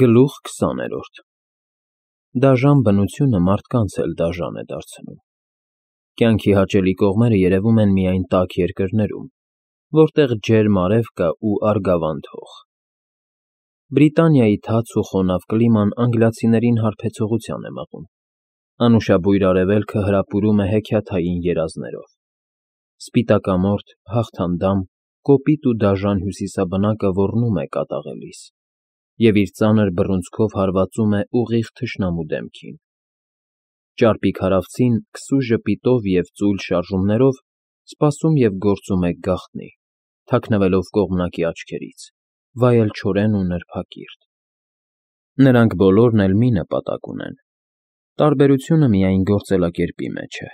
Գլուխ 20-րդ Դաժան բնությունը մարդկանց էլ դաժան է դարձնում։ Կյանքի հաճելի կողմերը երևում են միայն տաք երկրներում, որտեղ ջերմ արև կա ու արգավանդ հող։ Բրիտանիայի թաց ու խոնավ կլիման անգլիացիներին հարբեցողության է մղում։ Անուշաբույր արևելքը հրապուրում է հեքիաթային երազներով։ Սպիտակամորթ, հաղթանդամ, կոպիտ ու դաժան հյուսիսաբնակը ոռնում է կատաղելիս և իր ծանր բռունցքով հարվածում է ուղիղ թշնամու դեմքին։ Ճարպիկ հարավցին քսու ժպիտով և ծույլ շարժումներով սպասում և գործում է գաղտնի, թաքնվելով կողմնակի աչքերից, վայելչորեն ու նրբակիրթ։ Նրանք բոլորն էլ մի նպատակ ունեն. տարբերությունը միայն գործելակերպի մեջ է,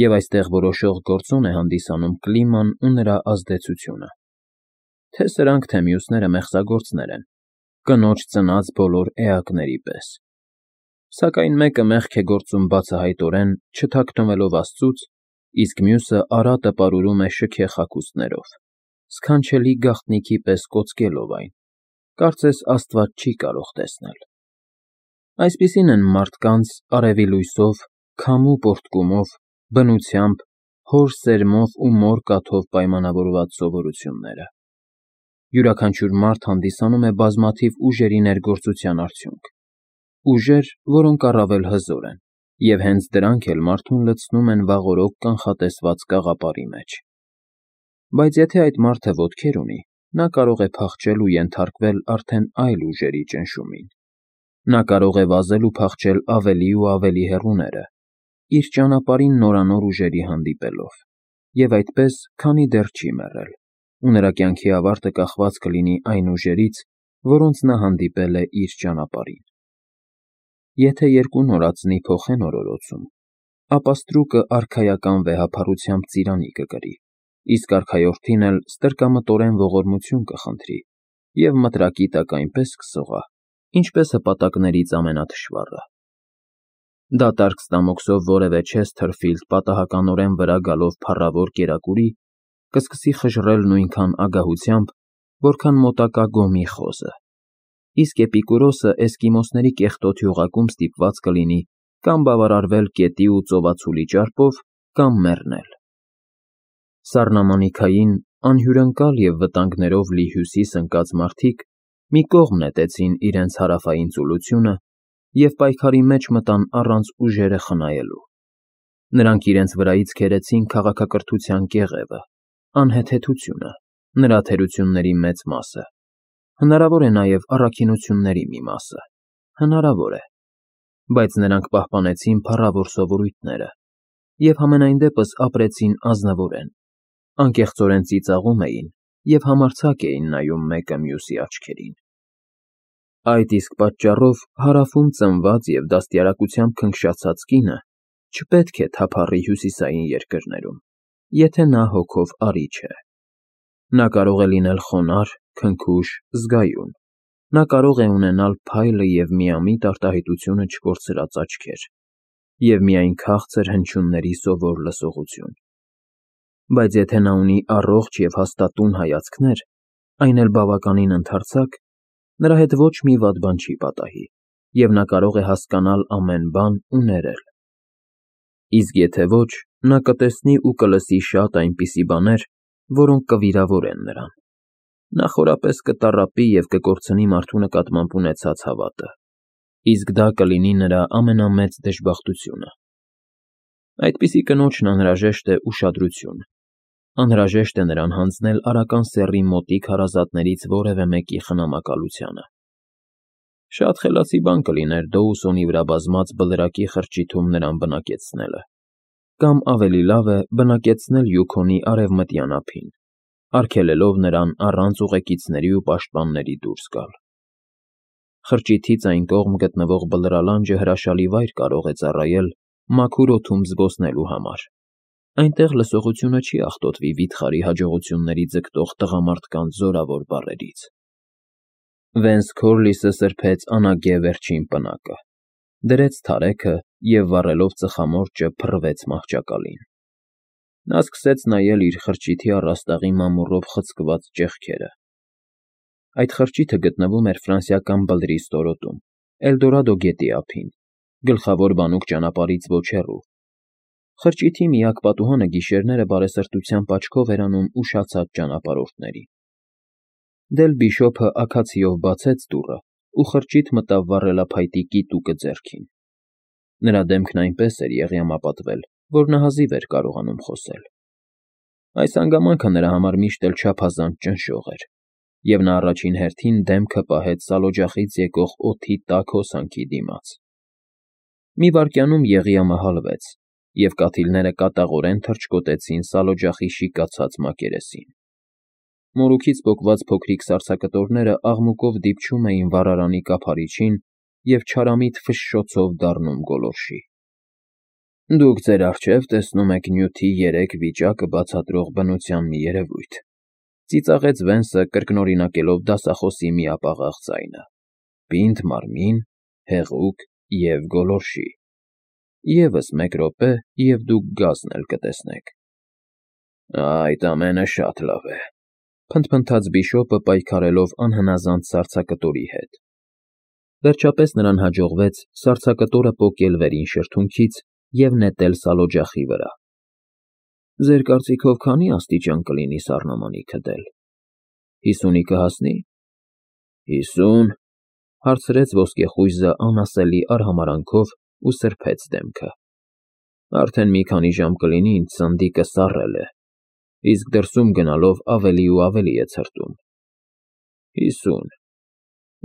և այստեղ որոշող գործոն է հանդիսանում կլիման ու նրա ազդեցությունը։ Թե սրանք, թե մյուսները մեղսագործներ են, կնոջ ծնած բոլոր էակների պես։ Սակայն մեկը մեղք է գործում բացահայտորեն, չթաքնվելով Աստծուց, իսկ մյուսը արատը պարուրում է շքեղ հագուստներով, սքանչելի գաղտնիքի պես կոծկելով այն, կարծես Աստված չի կարող տեսնել։ Այսպիսին են մարդկանց արևի լույսով, քամու պոռթկումով, բնությամբ, հոր սերմով ու մոր կաթով պայմանավորված սովորությունները։ Յուրաքանչյուր մարդ հանդիսանում է բազմաթիվ ուժերի ներգործության արդյունք, ուժեր, որոնք առավել հզոր են, և հենց դրանք էլ մարդուն լցնում են վաղօրոք կանխատեսված կաղապարի մեջ։ Բայց եթե այդ մարդը ոտքեր ունի, նա կարող է փախչել ու ենթարկվել արդեն այլ ուժերի ճնշումին։ Նա կարող է վազել ու փախչել ավելի ու ավելի հեռուները, իր ճանապարհին նորանոր ուժերի հանդիպելով, և այդպես, քանի դեռ չի մեռել, ու նրա կյանքի ավարտը կախված կլինի այն ուժերից, որոնց նա հանդիպել է իր ճանապարհին։ Եթե երկու նորածնի փոխեն օրորոցում, ապա ստրուկը արքայական վեհափառությամբ ծիրանի կկրի, իսկ արքայորդին էլ ստրկամտորեն ողորմություն կխնդրի և մտրակի տակ այնպես կսողա, ինչպես հպատակներից ամենաթշվառը։ Դատարկ ստամոքսով որևէ չես թրֆիլդ պատահականորեն վրա գալով փառավոր կերակուրի, կսկսի խժռել նույնքան ագահությամբ, որքան մոտակա գոմի խոզը, իսկ Էպիկուրոսը էսկիմոսների կեղտոտ յուղակում ստիպված կլինի կամ բավարարվել կետի ու ծովածուլի ճարպով, կամ մեռնել։ Սառնամանիքային, անհյուրընկալ և վտանգներով լի հյուսիս ընկած մարդիկ մի կողմ նետեցին իրենց հարավային ծուլությունը և պայքարի մեջ մտան առանց ուժերը խնայելու։ Նրանք իրենց վրայից քերեցին քաղաքակրթության կեղևը, անհեթեթությունը, նրա թերությունների մեծ մասը, հնարավոր է նաև առաքինությունների մի մասը, հնարավոր է, բայց նրանք պահպանեցին փառավոր սովորույթները և համենայն դեպս ապրեցին ազնվորեն, անկեղծորեն ծիծաղում էին և համարձակ էին նայում մեկը մյուսի աչքերին։ Այդ իսկ պատճառով հարավում ծնված և դաստիարակությամբ քնքշացած կինը չպետք է թափառի հյուսիսային երկրներում, եթե նա հոգով արի չէ։ Նա կարող է լինել խոնարհ, քնքուշ, զգայուն, նա կարող է ունենալ փայլը և միամիտ արտահայտությունը չկորցրած աչքեր և միայն քաղցր հնչյունների սովոր լսողություն։ Բայց եթե նա ունի առողջ և հաստատուն հայացքներ, այն էլ բավականին ընդարձակ, նրա հետ ոչ մի վատ բան չի պատահի, և նա կարող է հասկանալ ամեն բան ու ներել։ Իսկ եթե ոչ, նա կտեսնի ու կլսի շատ այնպիսի բաներ, որոնք կվիրավորեն նրան։ Նա խորապես կտառապի և կկորցնի մարդու նկատմամբ ունեցած հավատը, իսկ դա կլինի նրա ամենամեծ դժբախտությունը։ Այդպիսի կնոջն անհրաժեշտ է ուշադրություն, անհրաժեշտ է նրան հանձնել արական սեռի մոտիկ հարազատներից որևէ մեկի խնամակալությանը։ Շատ խելացի բան կլիներ Դոուսոնի վրա բազմած բլրակի խրճիթում նրան բնակեցնելը, կամ ավելի լավ է բնակեցնել Յուքոնի արևմտյան ափին, արգելելով նրան առանց ուղեկիցների ու պաշտպանների դուրս գալ։ Խրճիթից այն կողմ գտնվող բլրալանջը հրաշալի վայր կարող է ծառայել մաքուր օդում զբոսնելու համար։ Այնտեղ լսողությունը չի աղտոտվի վիթխարի հաջողությունների ձգտող տղամարդկանց զորավոր բառերից։ Վենս Քորլիսը սրբեց անագե վերջին պնակը, դրեց թարեքը և վառելով ծխամորճը փռվեց մահճակալին։ Նա սկսեց նայել իր խրճիթի առաստաղի մամուռով խցկված ճեղքերը։ Այդ խրճիթը գտնվում էր ֆրանսիական բլրի ստորոտում, Էլդորադո գետի ափին, գլխավոր բանուկ ճանապարհից ոչ հեռու։ Խրճիթի միակ պատուհանը գիշերները բարեսրտությամբ աչքով էր անում ուշացած ճանապարհորդներին։ Դել Բիշոփը աքացիով բացեց դուռը ու խրճիթ մտավ վառելափայտի կիտուկը ձեռքին։ Նրա դեմքն այնպես էր եղյամապատվել, որ նա հազիվ էր կարողանում խոսել։ Այս հանգամանքը նրա համար միշտ էլ չափազանց ճնշող էր, և նա առաջին հերթին դեմքը պահեց սալօջախից եկող օդի տաք հոսանքի դիմաց։ Մի վայրկյանում եղյամը հալվեց, և կաթիլները կատաղորեն թռչկոտեցին սալօջախի շիկացած մակերեսին։ Մորուքից պոկված փոքրիկ սառցակտորները աղմուկով դիպչում էին վառարանի կափարիչին և չարամիտ ֆշշոցով դառնում գոլորշի։ Դուք ձեր առջև տեսնում եք նյութի երեք վիճակը բացատրող բնության մի երևույթ, ծիծաղեց Վենսը, կրկնօրինակելով դասախոսի միապաղաղ ձայնը. պինդ մարմին, հեղուկ և գոլորշի։ Եվս մեկ րոպե, և դուք գազն էլ կտեսնեք։ Այդ ամենը շատ լավ է, փնթփնթաց Բիշոպը պայքարելով անհնազանդ սառցակտորի հետ։ Վերջապես նրան հաջողվեց սառցակտորը պոկել վերին շրթունքից և նետել սալօջախի վրա։ Ձեր կարծիքով քանի՞ աստիճան կլինի սառնամանիքը, Դել։ 50-ի կհասնի՞։ 50, հարցրեց ոսկեխույզը անասելի արհամարհանքով ու սրբեց դեմքը։ Արդեն մի քանի ժամ կլինի ինձ սնդիկը սառել է, իսկ դրսում գնալով ավելի ու ավելի է ցրտում։ 50,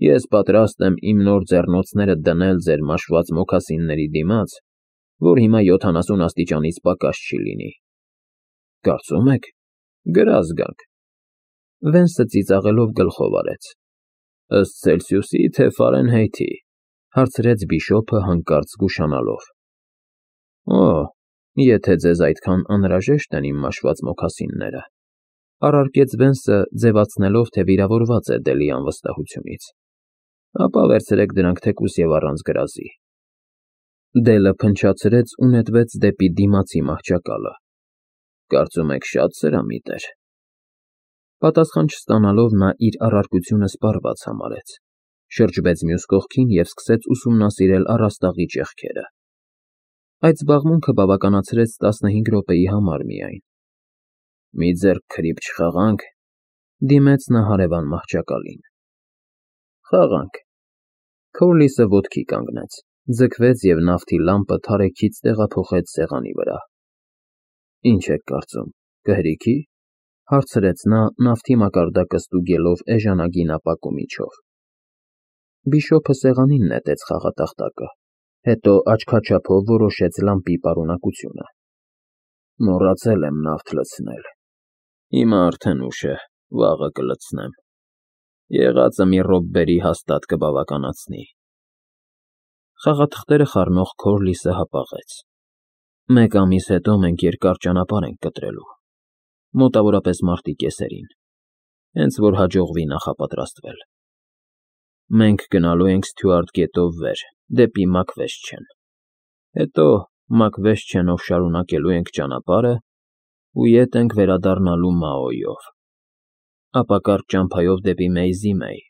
ես պատրաստ եմ իմ նոր ձեռնոցները դնել ձեր մաշված մոքասինների դիմաց, որ հիմա 70 աստիճանից պակաս չի լինի։ Կարծում եք, գրազ գանք։ Վենսը ծիծաղելով գլխով արեց։ Ըստ Ցելսիուսի, թե Ֆարենհեյթի, հարցրեց Բիշոպը հանկարծ զգուշանալով։ Օ, եթե ձեզ այդքան անհրաժեշտ են իմ մաշված մոքասինները, առարկեց Վենսը, ձևացնելով, թե վիրավորված է Դելի անվստահությունից, ապա վերցրեք դրանք թեկուզ և առանց գրազի։ Դելը փնչացրեց ու նետվեց դեպի դիմացի մահճակալը։ Կարծում եք շատ սրամիտ էր։ Պատասխան չստանալով նա իր առարկությունը սպառված համարեց, շրջվեց մյուս կողքին և սկսեց ուսումնասիրել առաստաղի ճեղքերը։ Այդ զբաղմունքը բավականացրեց 15 րոպեի համար միայն։ Մի ձեռք քրիփ չխաղանք, դիմեց նա հարևան մահճակալին։ Խաղանք։ Քորլիսը ոտքի կանգնեց, ձգվեց և նավթի լամպը թարեքից տեղափոխեց սեղանի վրա։ Ինչ եք կարծում, կհրի՞քի, հարցրեց նա, նավթի մակարդակը ստուգելով էժանագին ապակու միջով։ Բիշոպը սեղանին նետեց խաղատախտակը, հետո աչքաչափով որոշեց լամպի պարունակությունը։ Մոռացել եմ նավթ լցնել։ Հիմա արդեն ուշ է, վաղը կլցնեմ։ Եղածը մի րոպե հաստատ կբավականացնի։ Խաղաթղթերը խառնող Քորլիսը հապաղեց։ Մեկ ամիս հետո մենք երկար ճանապարհ ենք կտրելու, մոտավորապես մարտի կեսերին, հենց որ հաջողվի նախապատրաստվել։ Մենք գնալու ենք Սթյուարտ գետով վեր, դեպի Մակվեշչեն, հետո Մակվեշչենով շարունակելու ենք ճանապարհը ու ետ ենք վերադառնալու Մաոյով, ապա կարճ ճամփայով դեպի Մեյզիմեյ,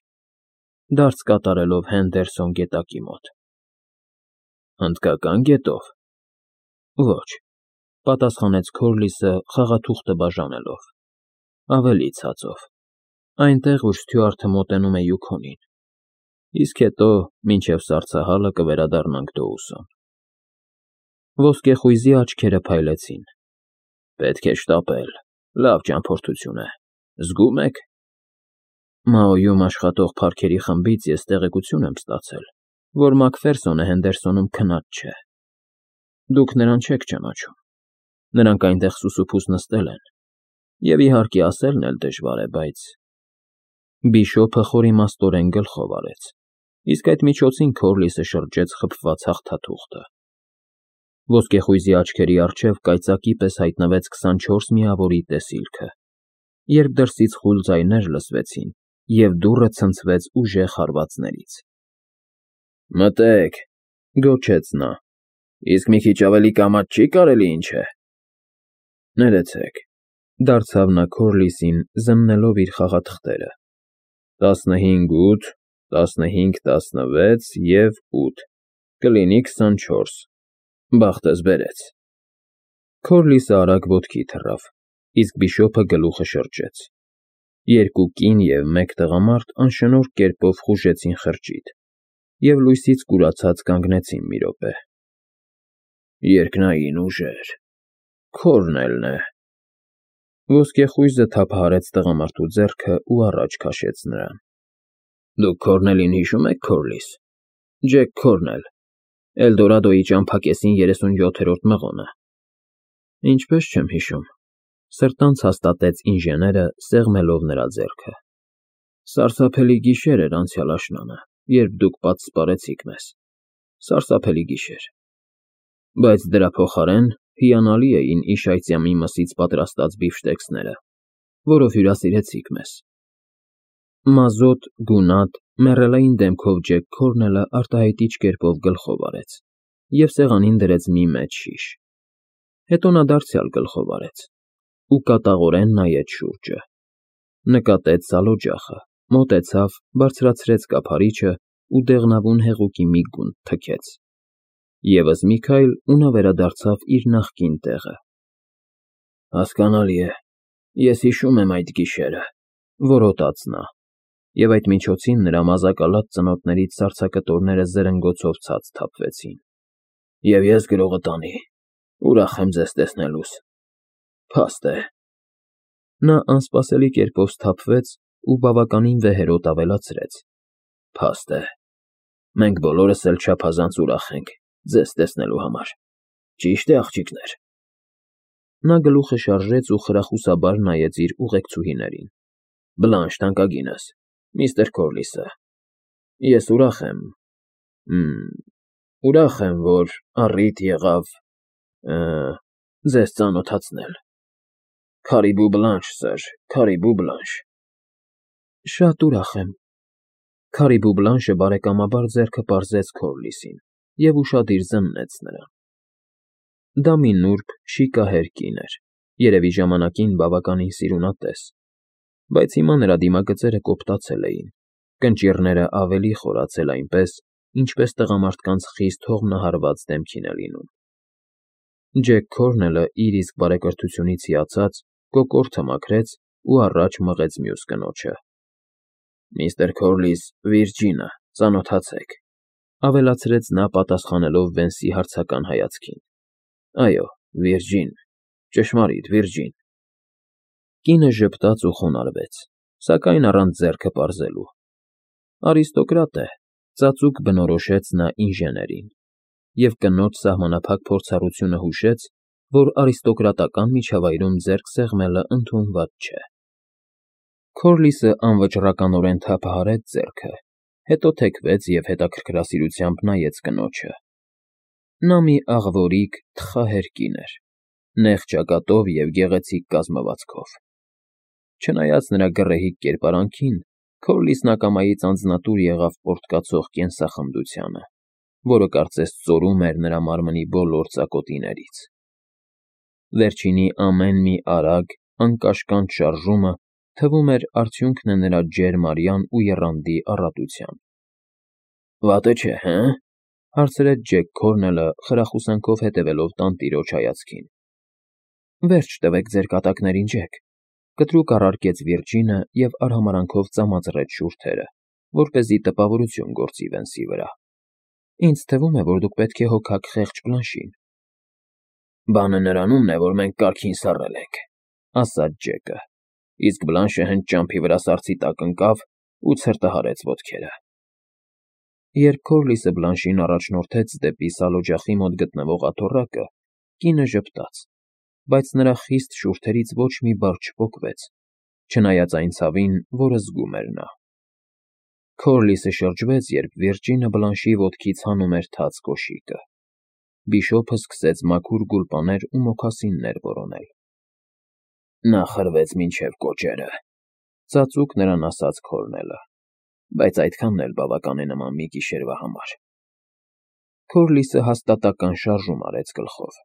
դարձ կատարելով Հենդերսոն գետակի մոտ։ Հնդկական գետո՞վ։ Ոչ, պատասխանեց Քորլիսը խաղաթուղթը բաժանելով։ Ավելի ցածով, այնտեղ, ուր Սթյուարտը մոտենում է Յուքոնին, իսկ հետո մինչև սառցահալը կվերադառնանք Դոուսոն։ Ոսկեխույզի աչքերը փայլեցին։ Պետք է շտապել, լավ ճամփորդություն է, զգում եք։ Մաոյում աշխատող փարքերի խմբից ես տեղեկություն եմ ստացել, որ Մակֆերսոնը Հենդերսոնում քնած չէ։ Դուք նրան չեք ճանաչում։ Նրանք այնտեղ սուսուփուս նստել են, և իհարկե ասելն էլ դժվար է, բայց… Բիշոպը խորիմաստորեն գլխով արեց, իսկ այդ միջոցին Քորլիսը շրջեց խփված հաղթաթուղթը։ Ոսկեխույզի աչքերի առջև կայծակի պես հայտնվեց 24 միավորի տեսիլքը, երբ դրսից խուլ ձայներ լսվեցին, և դուռը ցնցվեց ուժեղ հարվածներից։ Մտե՛ք, գոչեց նա, իսկ մի քիչ ավելի կամաց չի՞ կարելի, ինչ է։ Ներեցեք, դարձավ նա Քորլիսին, զննելով իր խաղաթղթերը։ 15, 8, 15, 16 և 8, կլինի 24, բախտս բերեց։ Քորլիսը արագ ոտքի թռավ, իսկ բիշոպը գլուխը շրջեց։ Երկու կին և մեկ տղամարդ անշնորհ կերպով խուժեցին խրճիթ և լույսից կուրացած կանգնեցին մի րոպե։ Երկնային ուժեր, Քորնելն է։ Ոսկեխույզը թափահարեց տղամարդու ձեռքը ու առաջ քաշեց նրան։ Դուք Քորնելին հիշո՞ւմ եք, Քորլիս։ Ջեք Քորնել, Էլդորադոյի ճամփակեսին 37-րդ մղոնը։ Ինչպես չեմ հիշում, սրտանց հաստատեց ինժեները, սեղմելով նրա ձեռքը։ Սարսափելի գիշեր էր անցյալ աշնանը, երբ դուք պատսպարեցիք մեզ։ Սարսափելի գիշեր։ Բայց դրա փոխարեն հիանալի էին Իշայծյամի մսից պատրաստած բիֆշտեքսները, որով հյուրասիրեցիք մեզ։ Մազոտ, գունատ, մեռելային դեմքով Ջեք Քորնելը արտահայտիչ կերպով գլխով արեց և սեղանին դրեց մի մեծ շիշ։ Հետո նա դարձյալ գլխով արեց ու կատաղորեն նայեց շուրջը։ Նկատեց սալօջախը, մոտեցավ, բարձրացրեց կափարիչը ու դեղնավուն հեղուկի մի գունդ թքեց։ Եվս մի քայլ ու նա վերադարձավ իր նախկին տեղը։ Հասկանալի է, ես հիշում եմ այդ գիշերը, որոտաց նա, և այդ միջոցին նրա մազակալած ծնոտներից սառցակտորները զրնգոցով ցած թափվեցին։ Եվ ես գրողը տանի, ուրախ եմ ձեզ տեսնելուս։ Փաստ է։ Նա անսպասելի կերպով սթափվեց ու բավականին վեհերոտ ավելացրեց. Փաստ է։ Մենք բոլորս էլ չափազանց ուրախ ենք ձեզ տեսնելու համար։ Ճի՞շտ է, աղջիկներ։ Նա գլուխը շարժեց ու խրախուսաբար նայեց իր ուղեկցուհիներին։ Բլանշ թանկագինս, միստր Քորլիսը։ Ես ուրախ եմ, որ առիթ եղավ ձեզ ծանոթացնել։ Քարիբու Բլանշ, սըր, Քարիբու Բլանշ։ Շատ ուրախ եմ։ Քարիբու Բլանշը բարեկամաբար ձեռքը պարզեց Քորլիսին և ուշադիր զննեց նրան։ Դա մի նուրբ, շիկահեր կին էր, երևի ժամանակին բավականին սիրունատես, բայց հիմա նրա դիմագծերը կոպտացել էին, կնճիռները ավելի խորացել այնպես, ինչպես տղամարդկանց խիստ հողմնահարված դեմքին է լինում։ Ջեք Քորնելը իր իսկ բարեկրթությունից հիացած կոկորդը մաքրեց ու առաջ մղեց մյուս կնոջը։ Միստր Քորլիս, Վիրջինը, ծանոթացեք, ավելացրեց նա պատասխանելով Վենսի հարցական հայացքին։ Այո, Վիրջին, ճշմարիտ, Վիրջին։ Կինը ժպտաց ու խոնարհվեց, սակայն առանց ձեռքը պարզելու։ Արիստոկրատ է, ծածուկ բնորոշեց նա ինժեներին, և կնոջ սահմանափակ փորձառությունը հուշեց, որ արիստոկրատական միջավայրում ձեռք սեղմելը ընդունված չէ։ Քորլիսը անվճռականորեն թափահարեց ձեռքը, հետո թեքվեց և հետաքրքրասիրությամբ նայեց կնոջը։ Նա մի աղվորիկ, թխահեր կին էր, նեղ ճակատով և գեղեցիկ կազմվածքով։ Չնայած նրա գռեհիկ կերպարանքին, Քորլիսն ակամայից անձնատուր եղավ պորտկացող կենսախնդությանը, որը կարծես ծորում էր նրա մարմնի բոլոր ծակոտիներից։ Վերջինի ամեն մի արագ, անկաշկանդ շարժումը թվում էր արդյունքն է նրա ջերմ արյան ու եռանդի առատության։ Վատը չէ, հը՞, հարցրեց Ջեք Քորնելը, խրախուսանքով հետևելով տանտիրոջ հայացքին։ Վերջ տվեք ձեր կատակներին, Ջեք, կտրուկ առարկեց Վիրջինը և արհամարանքով ծամածրեց շուրթերը, որպեսզի տպավորություն գործի Վենսի վրա։ Ինձ թվում է, որ դուք պետք է հոգաք խեղճ Բլանշին։ Բանը նրանումն է, որ մենք կարգին սառել ենք, ասաց Ջեկը, իսկ Բլանշը հենց ճամփի վրա սառցի տակ ընկավ ու ցրտահարեց ոտքերը։ Երբ Քորլիսը Բլանշին առաջնորդեց դեպի սալօջախի մոտ գտնվող աթոռակը, կինը ժպտաց, բայց նրա խիստ շուրթերից ոչ մի բառ չպոկվեց, չնայած այն ցավին, որը զգում էր նա։ Քորլիսը շրջվեց, երբ Վիրջինը Բլանշի ոտքից հանում էր թաց կոշիկը։ Բիշոպը սկսեց մաքուր գուլպաներ ու մոքասիններ որոնել։ Նա խրվեց մինչև կոճերը, ծածուկ նրան ասաց Քորնելը, բայց այդքանն էլ բավական է նման մի գիշերվա համար։ Քորլիսը հաստատական շարժում արեց գլխով։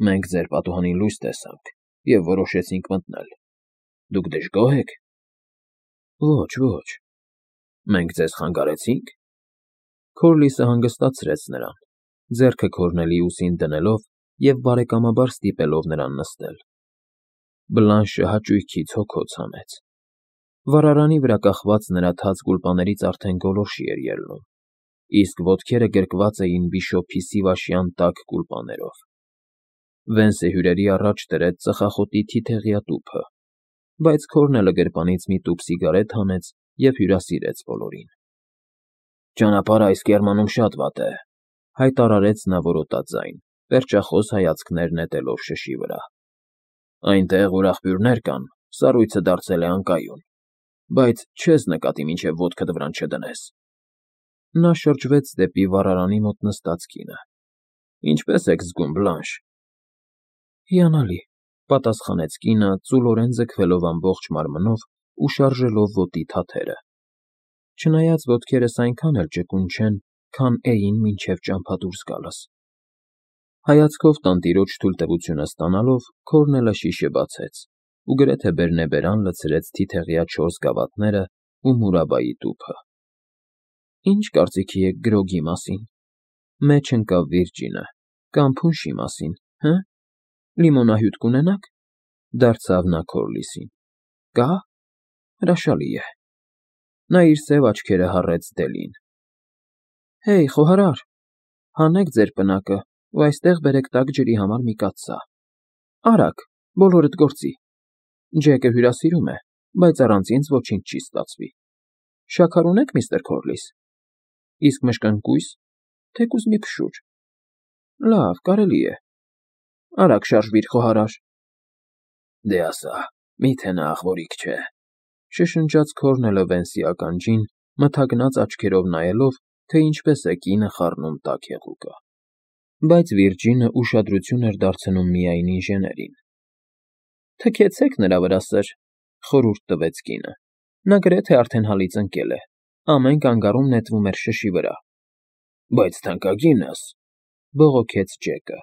Մենք ձեր պատուհանին լույս տեսանք և որոշեցինք մտնել։ Դուք դժգո՞հ եք։ Ոչ, ոչ։ Մենք ձեզ խանգարեցինք։ Քորլիսը հանգստացրեց նրան, ձեռքը Քորնելի ուսին դնելով և բարեկամաբար ստիպելով նրան նստել։ Բլանշը հաճույքից հոգոց հանեց։ Վառարանի վրա կախված նրա թաց գուլպաներից արդեն գոլորշի էր ելնում, իսկ ոտքերը գրկված էին բիշոփի սիվաշյան տաք գուլպաներով։ Վենսը հյուրերի առաջ դրեց ծխախոտի թիթեղյա տուփը, բայց Քորնելը գրպանից մի տուփ սիգարետ հանեց և հյուրասիրեց բոլորին։ «Ճանապարհը այս կեռմանում շատ վատ է», հայտարարեց նա որոտաձայն, պերճախոս հայացքներ նետելով շշի վրա։ «Այնտեղ, ուր աղբյուրներ կան, սառույցը դարձել է անկայուն, բայց չես նկատի, մինչև ոտքդ վրան չդնես»։ Նա շրջվեց դեպի վառարանի մոտ նստած կինը։ «Ինչպե՞ս եք զգում, Բլանշ»։ «Հիանալի», պատասխանեց կինը, ծուլորեն ձգվելով ամբողջ մարմնով ու շարժելով ոտի թաթերը։ «Չնայած ոտքերս այնքան էլ ճկուն չեն, քան Էին մինչև ճամփա դուրս գալս»։ Հայացքով տանտիրոջ թույլտվությունը ստանալով, Քորնելը շիշը բացեց ու գրեթե բերնեբերան լցրեց թիթեղյա 4 գավաթներն ու Մուրաբայի տուփը։ «Ինչ կարծիքի եք գրոգի մասին», մեջ ընկավ Վիրջինը, «կամ փունշի մասին, հը՞։ Լիմոնահյութ կունենաք», դարձավ նա Քորլիսին։ «Կա՞։ Հրաշալի է»։ Նա իր սև աչքերը հառեց Դելին։ «Հեյ, խոհարար, հանեք ձեր պնակը ու այստեղ բերեք տաք ջրի համար մի կաթսա։ Արագ, բոլորդ գործի։ Ջեկը հյուրասիրում է, բայց առանց ինձ ոչինչ չի ստացվի։ Շաքար ունե՞ք, միստր Քորլիս։ Իսկ մշկընկույզ, թեկուզ մի փշուր։ Լավ, կարելի է։ Արագ շարժվիր, խոհարար»։ «Դե ասա, միթե նա աղվորիկ չէ», շշնջաց Քորնելը Վենսի ականջին, մթագնած աչքերով նայելով, թե ինչպես է կինը խառնում տաք եղուկը։ Բայց Վիրջինը ուշադրություն էր դարձնում միայն ինժեներին։ «Թքեցեք նրա վրա, սըր», խորհուրդ տվեց կինը։ «Նա գրեթե արդեն հալից ընկել է, ամեն կանգառում նետվում էր շշի վրա»։ «Բայց թանկագինս», բողոքեց Ջեկը։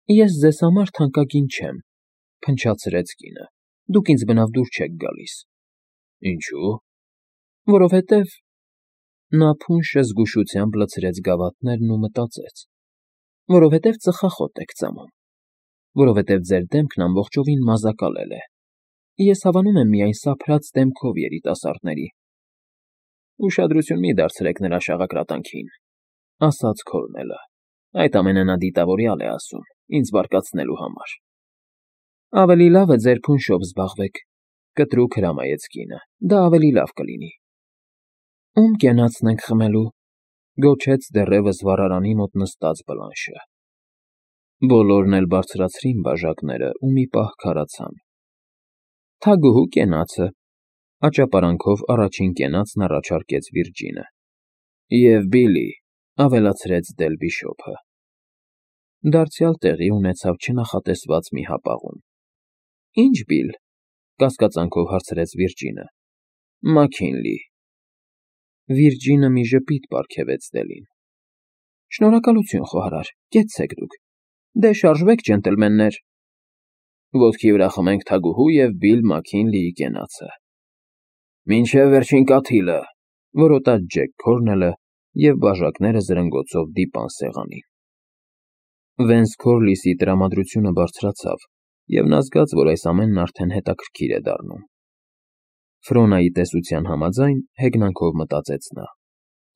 «Ես ձեզ համար թանկագին չեմ», փնչացրեց կինը։ «Դուք ինձ բնավ դուր չեք գալիս»։ «Ինչու՞։ Որովհետև…» Նա փունշը զգուշությամբ լցրեց գավաթներն ու մտածեց։ «Որովհետև ծխախոտ եք ծամում։ Որովհետև ձեր դեմքն ամբողջովին մազակալել է։ Ես հավանում եմ միայն սափրած դեմքով երիտասարդների»։ «Ուշադրություն մի դարձրեք նրա շաղակրատանքին», ասաց Քորնելը։ «Այդ ամենը նա դիտավորյալ է ասում, ինձ բարկացնելու համար»։ «Ավելի լավ է ձեր փունշով զբաղվեք», կտրուկ հրամայեց կինը։ «Դա ավելի լավ կլինի»։ «Ում կենացն ենք խմելու», գոչեց դեռևս վառարանի մոտ նստած Բլանշը։ Բոլորն էլ բարձրացրին բաժակները ու մի պահ քարացան։ «Թագուհու կենացը», աճապարանքով առաջին կենացն առաջարկեց Վիրջինը։ «Եվ Բիլի», ավելացրեց Դել Բիշոփը։ Դարձյալ տեղի ունեցավ չնախատեսված մի հապաղում։ «Ի՞նչ Բիլ», կասկածանքով հարցրեց Վիրջինը։ «Մաքինլի»։ Վիրջինը մի ժպիտ պարգևեց Դելին։ «Շնորհակալություն, խոհարար, կեցցեք դուք։ Դե շարժվեք, ջենտլմեններ»։ «Ոտքի վրա խմենք թագուհու և Բիլ Մաքինլիի կենացը»։ «Մինչև վերջին կաթիլը», որոտաց Ջեք Քորնելը և բաժակները զրնգոցով դիպան սեղանին։ Վենս Քորլիսի տրամադրությունը բարձրացավ, և նա զգաց, որ այս ամենն արդեն հետաքրքիր է դառնում։ Ֆրոնայի տեսության համաձայն, հեգնանքով մտածեց նա,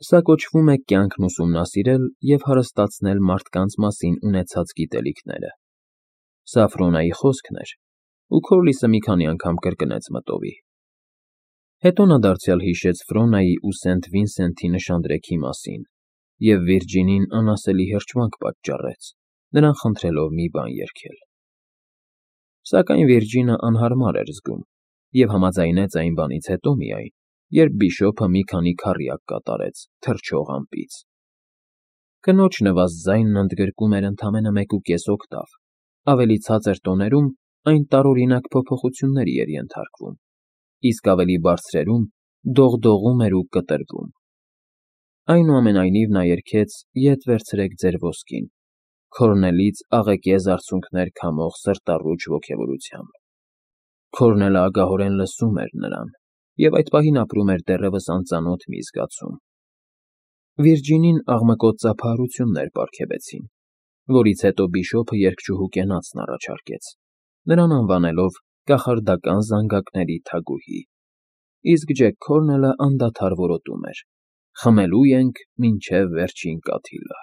սա կոչվում է կյանքն ուսումնասիրել և հարստացնել մարդկանց մասին ունեցած գիտելիքները։ Սա Ֆրոնայի խոսքն էր, ու Քորլիսը մի քանի անգամ կրկնեց մտովի։ Հետո նա դարձյալ հիշեց Ֆրոնայի ու Սենթ Վինսենթի նշանդրեքի մասին և Վիրջինին անասելի հրճվանք պատճառեց, նրան խնդրելով մի բան երգել։ Սակայն Վիրջինը անհարմար էր զգում և համաձայնեց այն բանից հետո միայն, երբ Բիշոփը մի քանի քառյակ կատարեց թռչող ամպից։ Կնոջ նվաստ ձայնն ընդգրկում էր ընդամենը 1.5 օկտավ, ավելի ցածր տոներում այն տարօրինակ փոփոխությունների էր ենթարկվում, իսկ ավելի բարձրերում դողդողում էր ու կտրվում։ Այնուամենայնիվ նա երգեց «Ետ վերցրեք ձեր ոսկին» Քորնելից աղեկեզ արցունքներ քամող սրտառուչ ոգևորությամբ։ Քորնելը ագահորեն լսում էր նրան և այդ պահին ապրում էր դեռևս անծանոթ մի զգացում։ Վիրջինին աղմկոտ ծափահարություններ պարգևեցին, որից հետո բիշոպը երգչուհու կենացն առաջարկեց, նրան անվանելով կախարդական զանգակների թագուհի, իսկ Ջեք Քորնելը անդադար որոտում էր. «Խմելու ենք մինչև վերջին կաթիլը»։